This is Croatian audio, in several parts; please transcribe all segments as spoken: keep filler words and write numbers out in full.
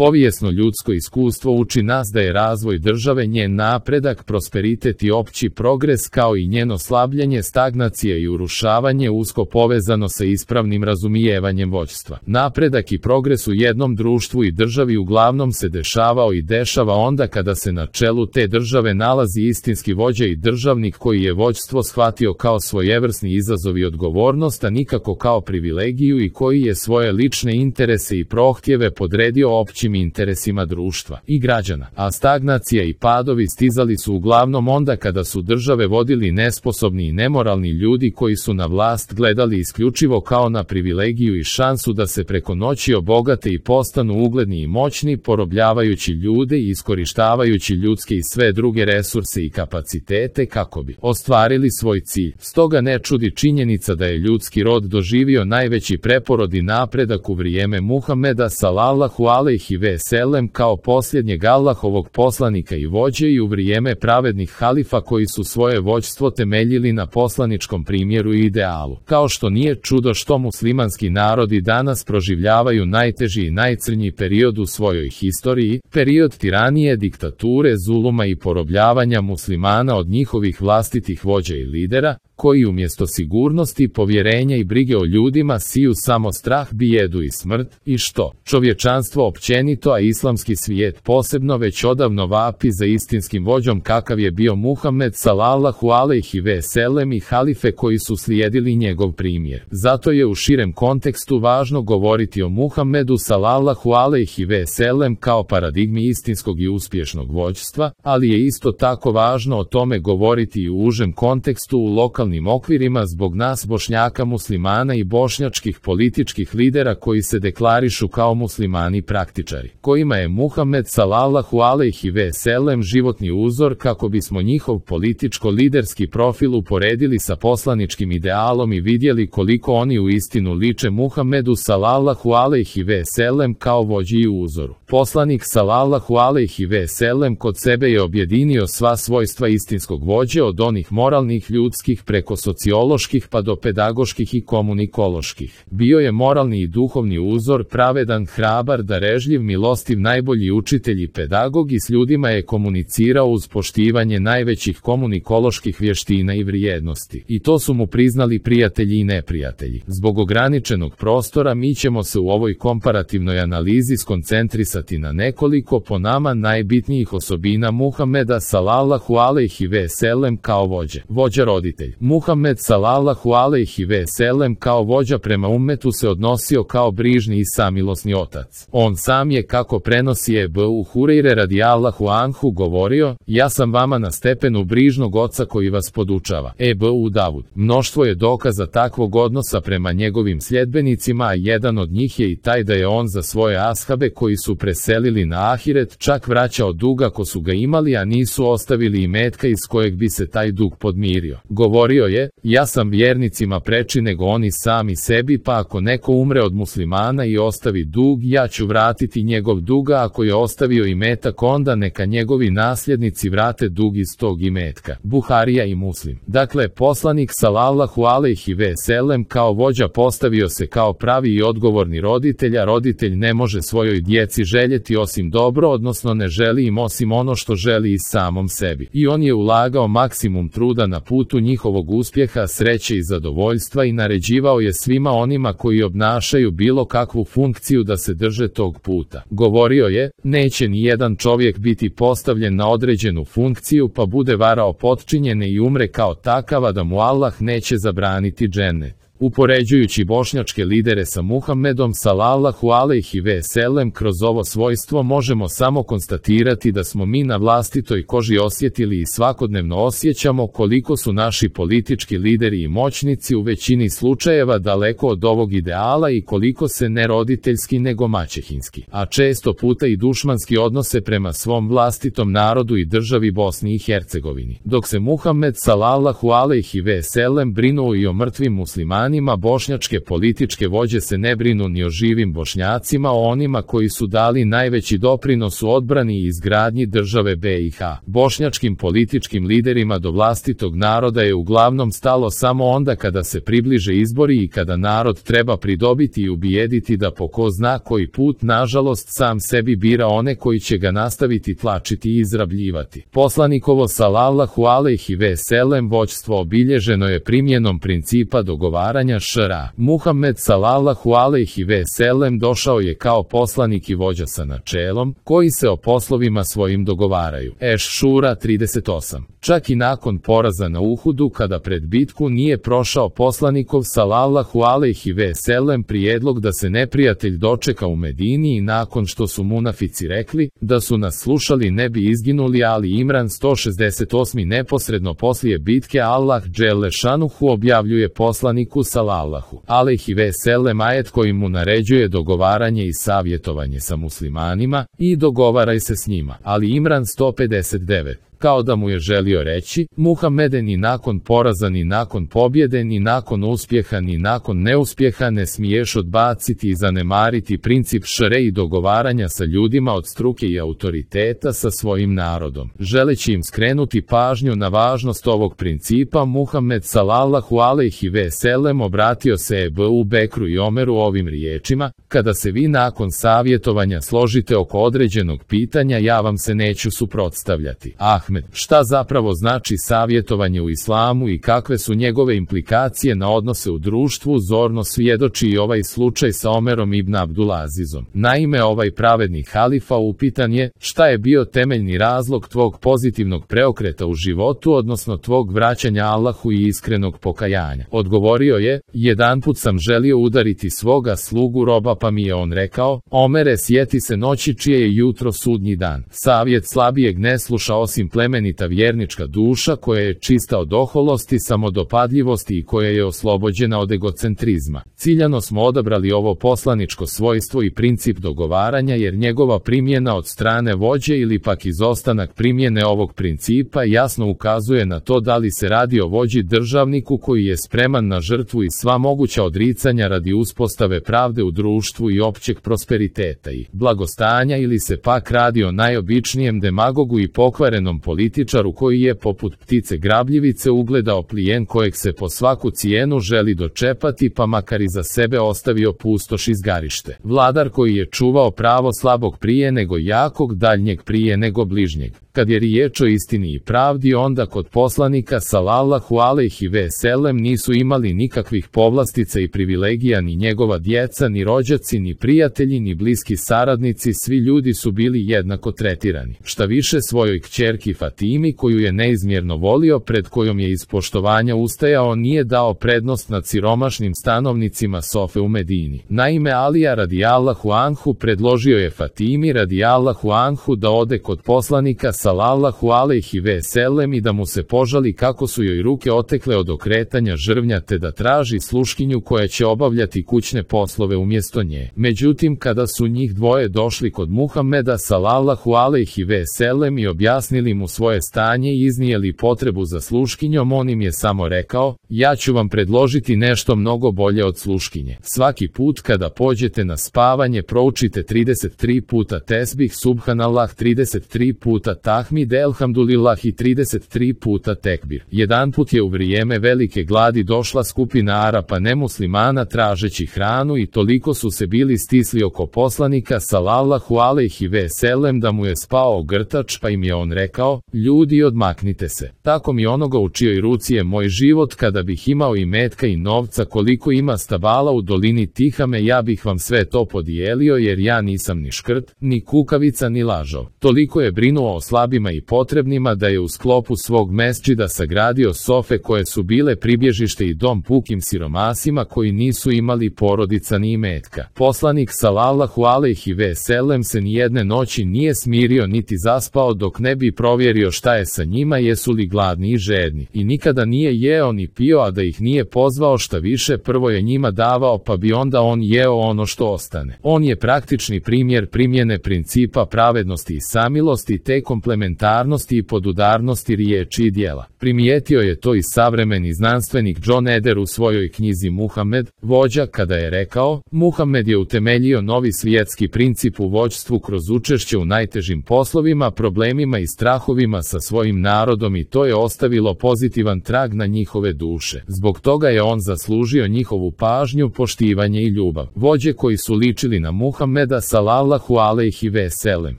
Povijesno ljudsko iskustvo uči nas da je razvoj države njen napredak, prosperitet i opći progres kao i njeno slabljenje, stagnacija i urušavanje usko povezano sa ispravnim razumijevanjem vođstva. Napredak i progres u jednom društvu i državi uglavnom se dešavao i dešava onda kada se na čelu te države nalazi istinski vođa i državnik koji je vođstvo shvatio kao svojevrsni izazov i odgovornost, a nikako kao privilegiju, i koji je svoje lične interese i prohtjeve podredio općim interesima društva i građana. A stagnacija i padovi stizali su uglavnom onda kada su države vodili nesposobni i nemoralni ljudi koji su na vlast gledali isključivo kao na privilegiju i šansu da se preko noći obogate i postanu ugledni i moćni, porobljavajući ljude i iskorištavajući ljudske i sve druge resurse i kapacitete kako bi ostvarili svoj cilj. Stoga ne čudi činjenica da je ljudski rod doživio najveći preporod i napredak u vrijeme Muhameda sallallahu alejhi ve sellem kao posljednjeg Allahovog poslanika i vođe i u vrijeme pravednih halifa koji su svoje vođstvo temeljili na poslaničkom primjeru i idealu. Kao što nije čudo što muslimanski narodi danas proživljavaju najteži i najcrnji period u svojoj historiji, period tiranije, diktature, zuluma i porobljavanja muslimana od njihovih vlastitih vođa i lidera, koji umjesto sigurnosti, povjerenja i brige o ljudima siju samo strah, bijedu i smrt, i što čovječanstvo općenito, a islamski svijet posebno, već odavno vapi za istinskim vođom kakav je bio Muhammed sallallahu alejhi ve sellem i halife koji su slijedili njegov primjer. Zato je u širem kontekstu važno govoriti o Muhammedu sallallahu alejhi ve sellem kao paradigmi istinskog i uspješnog vođstva, ali je isto tako važno o tome govoriti i u užem kontekstu u lokalnim okvirima zbog nas Bošnjaka muslimana i bošnjačkih političkih lidera koji se deklarišu kao muslimani praktičari, kojima je Muhammed sallallahu alejhi ve sellem životni uzor, kako bismo njihov političko-liderski profil uporedili sa poslaničkim idealom i vidjeli koliko oni u istinu liče Muhammedu sallallahu alejhi ve sellem kao vođi i uzoru. Poslanik sallallahu alejhi ve sellem kod sebe je objedinio sva svojstva istinskog vođe, od onih moralnih, ljudskih, preko socioloških pa do pedagoških i komunikoloških. Bio je moralni i duhovni uzor, pravedan, hrabar, darežljiv, milostiv, najbolji učitelj i pedagog, i s ljudima je komunicirao uz poštivanje najvećih komunikoloških vještina i vrijednosti. I to su mu priznali prijatelji i neprijatelji. Zbog ograničenog prostora mi ćemo se u ovoj komparativnoj analizi skoncentrisati na nekoliko po nama najbitnijih osobina Muhameda sallallahu alejhi ve sellem kao vođe. Vođa roditelj. Muhammed sallallahu alejhi ve sellem kao vođa prema ummetu se odnosio kao brižni i samilosni otac. On sam je, kako prenosi Ebu Hurejre radijallahu anhu, govorio: ja sam vama na stepenu brižnog oca koji vas podučava. Ebu Davud. Mnoštvo je dokaza takvog odnosa prema njegovim sljedbenicima, a jedan od njih je i taj da je on za svoje ashabe koji su preselili na ahiret čak vraćao dug ako su ga imali, a nisu ostavili imetka iz kojeg bi se taj dug podmirio. Govorio je: ja sam vjernicima preči nego oni sami sebi, pa ako neko umre od muslimana i ostavi dug, ja ću vratiti njegov duga, ako je ostavio imetak onda neka njegovi nasljednici vrate dug iz tog imetka. Buharija i Muslim. Dakle, poslanik sallallahu alejhi ve sellem kao vođa postavio se kao pravi i odgovorni roditelj, a roditelj ne može svojoj djeci željeti osim dobro, odnosno ne želi im osim ono što želi i samom sebi. I on je ulagao maksimum truda na putu njihovog uspjeha, sreće i zadovoljstva i naređivao je svima onima koji obnašaju bilo kakvu funkciju da se drže tog puta. Govorio je: neće ni jedan čovjek biti postavljen na određenu funkciju pa bude varao potčinjene i umre kao takav, a da mu Allah neće zabraniti džennet. Upoređujući bošnjačke lidere sa Muhammedom sallallahu alejhi ve sellem kroz ovo svojstvo možemo samo konstatirati da smo mi na vlastitoj koži osjetili i svakodnevno osjećamo koliko su naši politički lideri i moćnici u većini slučajeva daleko od ovog ideala i koliko se ne roditeljski nego maćehinski, a često puta i dušmanski odnose prema svom vlastitom narodu i državi Bosni i Hercegovini. Dok se Muhammed sallallahu alejhi ve sellem brinuo i o mrtvim muslimanima, muslimanima, bošnjačke političke vođe se ne brinu ni o živim Bošnjacima, o onima koji su dali najveći doprinos u odbrani i izgradnji države B i H. Bošnjačkim političkim liderima do vlastitog naroda je uglavnom stalo samo onda kada se približe izbori i kada narod treba pridobiti i ubijediti da po ko zna koji put, nažalost, sam sebi bira one koji će ga nastaviti tlačiti i izrabljivati. Poslanikovo sallallahu alejhi ve sellem vođstvo obilježeno je primjenom principa dogovaranja šara. Muhammed sallallahu alejhi ve sellem došao je kao poslanik i vođa sa načelom, koji se o poslovima svojim dogovaraju. Eš-Šura trideset osam. Čak i nakon poraza na Uhudu, kada pred bitku nije prošao poslanikov sallallahu alejhi ve sellem prijedlog da se neprijatelj dočeka u Medini i nakon što su munafici rekli da su nas slušali ne bi izginuli, Ali Imran sto šezdeset osam. Neposredno poslije bitke Allah dželle šanuhu objavljuje poslaniku sallallahu alejhi ve sellem ajet koji mu naređuje dogovaranje i savjetovanje sa muslimanima i dogovaraj se s njima. Ali Imran sto pedeset devet. Kao da mu je želio reći, Muhammede, ni nakon poraza, ni nakon pobjede, ni nakon uspjeha, ni nakon neuspjeha ne smiješ odbaciti i zanemariti princip šere i dogovaranja sa ljudima od struke i autoriteta sa svojim narodom. Želeći im skrenuti pažnju na važnost ovog principa, Muhammed sallallahu alejhi ve sellem obratio se Ebu Bekru i Omeru ovim riječima: kada se vi nakon savjetovanja složite oko određenog pitanja, ja vam se neću suprotstavljati. Ah, šta zapravo znači savjetovanje u islamu i kakve su njegove implikacije na odnose u društvu, zorno svjedoči i ovaj slučaj sa Omerom ibn Abdulazizom. Naime, ovaj pravedni halifa upitan je: šta je bio temeljni razlog tvog pozitivnog preokreta u životu, odnosno tvog vraćanja Allahu i iskrenog pokajanja? Odgovorio je: jedanput sam želio udariti svoga slugu roba, pa mi je on rekao: Omere, sjeti se noći čije je jutro sudnji dan. Savjet slabijeg ne sluša osim plemenita vjernička duša koja je čista od oholosti, samodopadljivosti i koja je oslobođena od egocentrizma. Ciljano smo odabrali ovo poslaničko svojstvo i princip dogovaranja jer njegova primjena od strane vođe ili pak izostanak primjene ovog principa jasno ukazuje na to da li se radi o vođi državniku koji je spreman na žrtvu i sva moguća odricanja radi uspostave pravde u društvu i općeg prosperiteta i blagostanja, ili se pak radi o najobičnijem demagogu i pokvarenom političaru koji je poput ptice grabljivice ugledao plijen kojeg se po svaku cijenu želi dočepati, pa makar i za sebe ostavio pustoš i zgarište. Vladar koji je čuvao pravo slabog prije nego jakog, daljnjeg prije nego bližnjeg. Kad je riječ o istini i pravdi, onda kod poslanika sallallahu alejhi ve sellem nisu imali nikakvih povlastica i privilegija ni njegova djeca, ni rođaci, ni prijatelji, ni bliski saradnici, svi ljudi su bili jednako tretirani. Šta više, svojoj kćerki Fatimi, koju je neizmjerno volio, pred kojom je iz poštovanja ustajao, nije dao prednost nad siromašnim stanovnicima Sofe u Medini. Naime, Alija radijallahu anhu predložio je Fatimi radijallahu anhu da ode kod poslanika sallallahu alejhi ve sellem i da mu se požali kako su joj ruke otekle od okretanja žrvnja, te da traži sluškinju koja će obavljati kućne poslove umjesto nje. Međutim, kada su njih dvoje došli kod Muhammeda sallallahu alejhi ve sellem i objasnili mu svoje stanje i iznijeli potrebu za sluškinjom, on im je samo rekao: ja ću vam predložiti nešto mnogo bolje od sluškinje. Svaki put kada pođete na spavanje, proučite trideset tri puta tesbih subhanallah, trideset tri puta tahmid elhamdulillah i trideset tri puta tekbir. Jedanput je u vrijeme velike gladi došla skupina Arapa nemuslimana tražeći hranu i toliko su se bili stisli oko poslanika sallallahu alejhi ve sellem da mu je spao grtač, pa im je on rekao: ljudi, odmaknite se. Tako mi onoga u čijoj ruci je moj život, kada bih imao i metka i novca koliko ima stabala u dolini Tihame, ja bih vam sve to podijelio, jer ja nisam ni škrt, ni kukavica, ni lažov. Toliko je brinuo o slabima i potrebnima da je u sklopu svog mesdžida sagradio sofe koje su bile pribježište i dom pukim siromasima koji nisu imali porodica ni imetka. Poslanik sallallahu alejhi ve sellem se nijedne noći nije smirio niti zaspao dok ne bi provjerio šta je sa njima, jesu li gladni i žedni, i nikada nije jeo ni pio, a da ih nije pozvao, šta više, prvo je njima davao, pa bi onda on jeo ono što ostane. On je praktični primjer primjene principa pravednosti i samilosti, te kompletnosti komplementarnosti i podudarnosti riječi i djela. Primijetio je to i savremeni znanstvenik John Eder u svojoj knjizi Muhamed, vođa, kada je rekao: Muhamed je utemeljio novi svjetski princip u vođstvu kroz učešće u najtežim poslovima, problemima i strahovima sa svojim narodom i to je ostavilo pozitivan trag na njihove duše. Zbog toga je on zaslužio njihovu pažnju, poštivanje i ljubav. Vođe koji su ličili na Muhameda sallallahu alejhi ve sellem.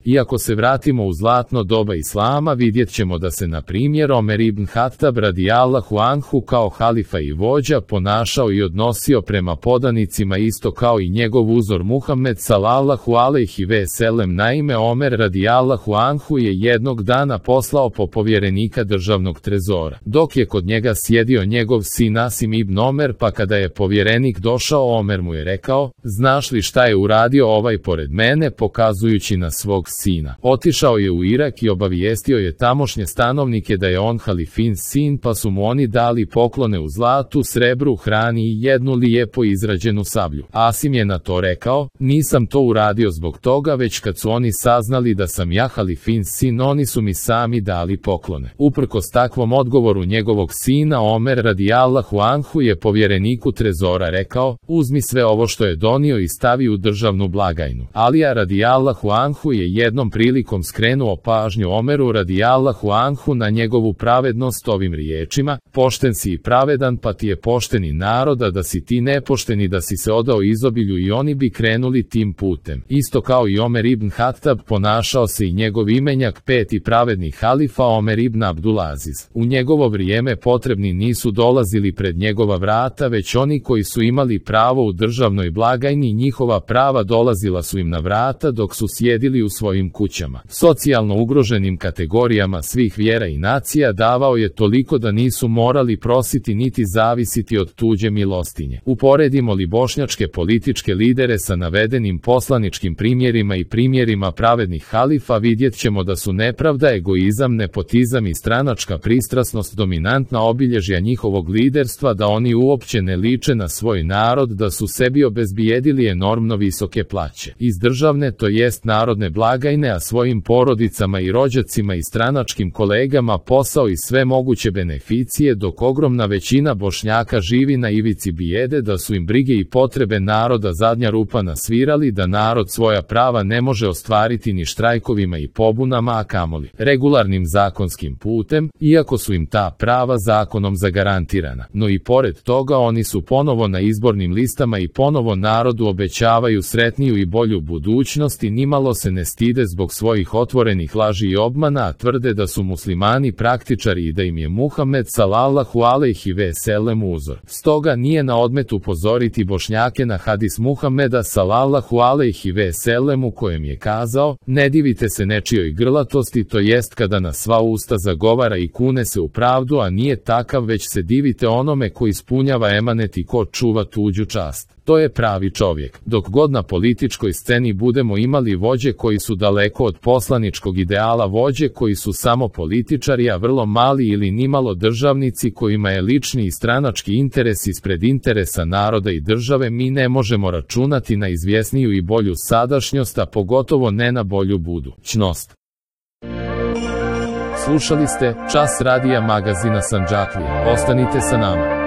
Iako se vratimo u zlatno doba islama, vidjet ćemo da se na primjer Omer ibn Hatab radijallahu anhu kao halifa i vođa ponašao i odnosio prema podanicima isto kao i njegov uzor Muhammed sallallahu alejhi ve sellem. Naime, Omer radijallahu anhu je jednog dana poslao po povjerenika državnog trezora, dok je kod njega sjedio njegov sin Asim ibn Omer, pa kada je povjerenik došao, Omer mu je rekao: znaš li šta je uradio ovaj pored mene, pokazujući na svog sina. Otišao je u Irak i obavijestio je tamošnje stanovnike da je on halifin sin, pa su mu oni dali poklone u zlatu, srebru, hrani i jednu lijepo izrađenu sablju. Asim je na to rekao: nisam to uradio zbog toga, već kad su oni saznali da sam ja halifin sin, oni su mi sami dali poklone. Uprkos takvom odgovoru njegovog sina, Omer radijallahu anhu je povjereniku trezora rekao: uzmi sve ovo što je donio i stavi u državnu blagajnu. Alija radijallahu anhu je jednom prilikom skrenuo pažnju Omeru radijallahu anhu na njegovu pravednost ovim riječima: pošten si i pravedan, pa ti je pošteni naroda, da si ti nepošteni, da si se odao izobilju i oni bi krenuli tim putem. Isto kao i Omer ibn Hatab ponašao se i njegov imenjak, peti pravedni halifa Omer ibn Abdulaziz. U njegovo vrijeme potrebni nisu dolazili pred njegova vrata, već oni koji su imali pravo u državnoj blagajni, njihova prava dolazila su im na vrata dok su sjedili u svojim kućama. Socijalno ugroženim kategorijama svih vjera i nacija davao je toliko da nisu morali prositi niti zavisiti od tuđe milostinje. Uporedimo li bošnjačke političke lidere sa navedenim poslaničkim primjerima i primjerima pravednih halifa, vidjet ćemo da su nepravda, egoizam, nepotizam i stranačka pristrasnost dominantna obilježja njihovog liderstva, da oni uopće ne liče na svoj narod, da su sebi obezbijedili enormno visoke plaće iz državne, to jest narodne blagajne, a svojim porodicama i rođacima i stranačkim kolegama posao i sve moguće beneficije, dok ogromna većina Bošnjaka živi na ivici bijede, da su im brige i potrebe naroda zadnja rupa na svirali, da narod svoja prava ne može ostvariti ni štrajkovima i pobunama, a kamoli regularnim zakonskim putem, iako su im ta prava zakonom zagarantirana. No i pored toga oni su ponovo na izbornim listama i ponovo narodu obećavaju sretniju i bolju budućnost i nimalo se ne stide zbog svojih otvorenih laži i obmana, a tvrde da su muslimani praktičari i da im je Muhammed sallallahu alejhi ve sellem uzor. Stoga nije na odmet upozoriti Bošnjake na hadis Muhameda sallallahu alejhi ve sellem u kojem je kazao: ne divite se nečijoj grlatosti, to jest kada na sva usta zagovara i kune se u pravdu, a nije takav, već se divite onome ko ispunjava emanet i ko čuva tuđu čast. To je pravi čovjek. Dok god na političkoj sceni budemo imali vođe koji su daleko od poslaničkog ideala, vođe koji su samo političari, a vrlo mali ili nimalo državnici kojima je lični i stranački interes ispred interesa naroda i države, mi ne možemo računati na izvjesniju i bolju sadašnjost, a pogotovo ne na bolju budućnost. Slušali ste Čas radija magazina Sandžaklija. Ostanite sa nama.